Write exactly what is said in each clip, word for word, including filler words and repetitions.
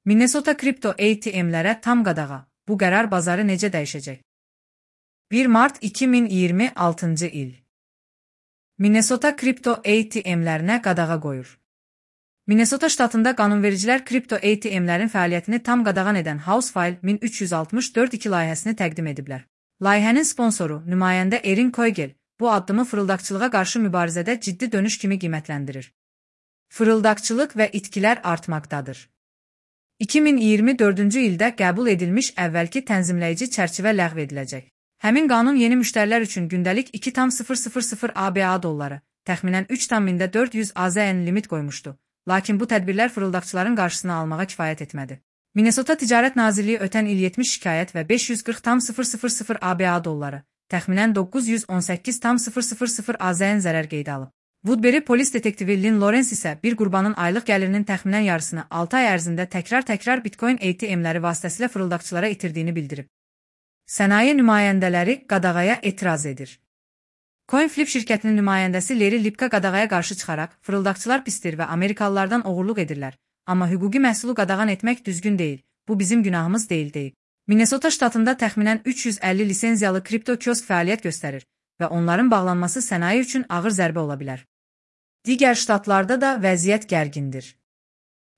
Minnesota kripto A T M'lərə tam qadağa. Bu qərar bazarı necə dəyişəcək? bir mart iki min iyirmi altıncı il. Minnesota kripto A T M'lərinə qadağa qoyur. Minnesota ştatında qanunvericilər kripto A T M'lərin fəaliyyətini tam qadağan edən House File min üç yüz altmış dörd iki layihəsini təqdim ediblər. Layihənin sponsoru, nümayəndə Erin Koygel, bu addımı fırıldaqçılığa qarşı mübarizədə ciddi dönüş kimi qiymətləndirir. Fırıldaqçılıq və itkilər artmaqdadır. iki min iyirmi dördüncü ildə qəbul edilmiş əvvəlki tənzimləyici çərçivə ləğv ediləcək. Həmin qanun yeni müştərilər üçün gündəlik iki min A B A dolları, təxminən üç min dörd yüz A Z N limit qoymuşdu. Lakin bu tədbirlər fırıldaqçıların qarşısını almağa kifayət etmədi. Minnesota Ticarət Nazirliyi ötən il yetmiş şikayət və beş yüz qırx min A B A dolları, təxminən doqquz yüz on səkkiz min A Z N zərər qeydə alıb. Woodbury polis detektivi Lynn Lawrence isə bir qurbanın aylıq gəlirinin təxminən yarısını altı ay ərzində təkrar-təkrar Bitcoin A T M'ləri vasitəsilə fırıldaqçılara itirdiyini bildirib. Sənaye nümayəndələri qadağaya etiraz edir. CoinFlip şirkətinin nümayəndəsi Larry Lipka qadağaya qarşı çıxaraq, fırıldaqçılar pistir və Amerikalılardan oğurluq edirlər, amma hüquqi məhsulu qadağan etmək düzgün deyil, bu bizim günahımız deyil deyib. Minnesota ştatında təxminən üç yüz əlli lisenziyalı kripto kiosk fəaliyyət göstərir və onların bağlanması sənaye üçün ağır zərbə ola bilər. Digər ştatlarda da vəziyyət gərgindir.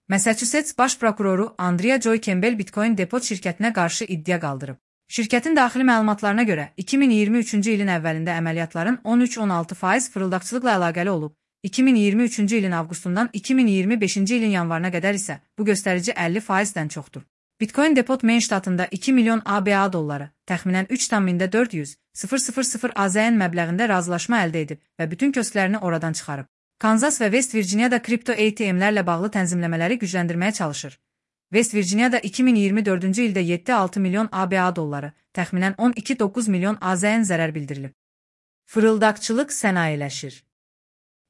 Massachusetts baş prokuroru Andrea Joy Campbell Bitcoin Depot şirkətinə qarşı iddia qaldırıb. Şirkətin daxili məlumatlarına görə iki min iyirmi üçüncü ilin əvvəlində əməliyyatların on üç on altı faiz fırıldaqçılıqla əlaqəli olub, iki min iyirmi üçüncü ilin avqustundan iki min iyirmi beşinci ilin yanvarına qədər isə bu göstərici əlli faizdən çoxdur. Bitcoin Depot Maine ştatında iki milyon A B A dolları, təxminən üç min dörd yüz min A Z N məbləğində razılaşma əldə edib və bütün kösklərini oradan çıxarıb. Kansas və West Virginia'da kripto A T M'lərlə bağlı tənzimləmələri gücləndirməyə çalışır. West Virginia'da iki min iyirmi dördüncü ildə yeddi altı milyon A B A dolları, təxminən on iki doqquz milyon A Z N zərər bildirilib. Fırıldaqçılıq sənayeləşir.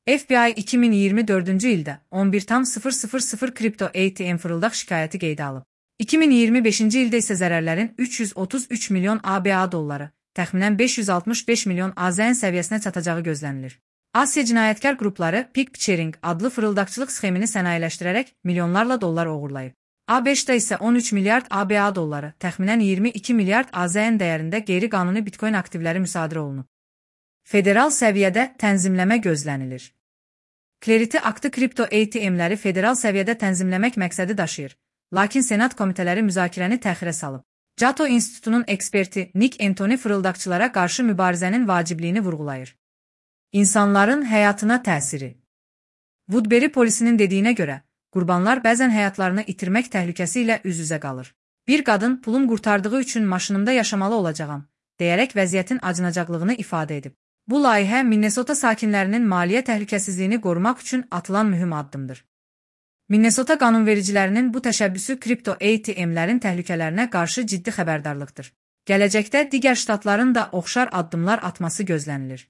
F B I iki min iyirmi dördüncü ildə on bir min kripto A T M fırıldaq şikayəti qeydə alıb. iki min iyirmi beşinci ildə isə zərərlərin üç yüz otuz üç milyon A B A dolları, təxminən beş yüz altmış beş milyon A Z N səviyyəsinə çatacağı gözlənilir. Asiya cinayətkar qrupları Pig-Sharing adlı fırıldaqçılıq sxemini sənayeləşdirərək milyonlarla dollar oğurlayıb. A beşdə isə on üç milyard A B A dolları, təxminən iyirmi iki milyard A Z N dəyərində qeyri-qanuni Bitcoin aktivləri müsadirə olunub. Federal səviyyədə tənzimləmə gözlənilir. Clarity aktı kripto A T M'ləri federal səviyyədə tənzimləmək məqsədi daşıyır, lakin Senat komitələri müzakirəni təxirə salıb. Cato İnstitutunun eksperti Nick Anthony fırıldaqçılara qarşı mübarizənin vacibliyini vurğulayır. İnsanların həyatına təsiri. Woodbury polisinin dediyinə görə, qurbanlar bəzən həyatlarını itirmək təhlükəsi ilə üz-üzə qalır. Bir qadın pulum qurtardığı üçün maşınımda yaşamalı olacağam, deyərək vəziyyətin acınacaqlığını ifadə edib. Bu layihə Minnesota sakinlərinin maliyyə təhlükəsizliyini qorumaq üçün atılan mühüm addımdır. Minnesota qanunvericilərinin bu təşəbbüsü kripto A T M'lərin təhlükələrinə qarşı ciddi xəbərdarlıqdır. Gələcəkdə digər ştatların da oxşar addımlar atması gözlənilir.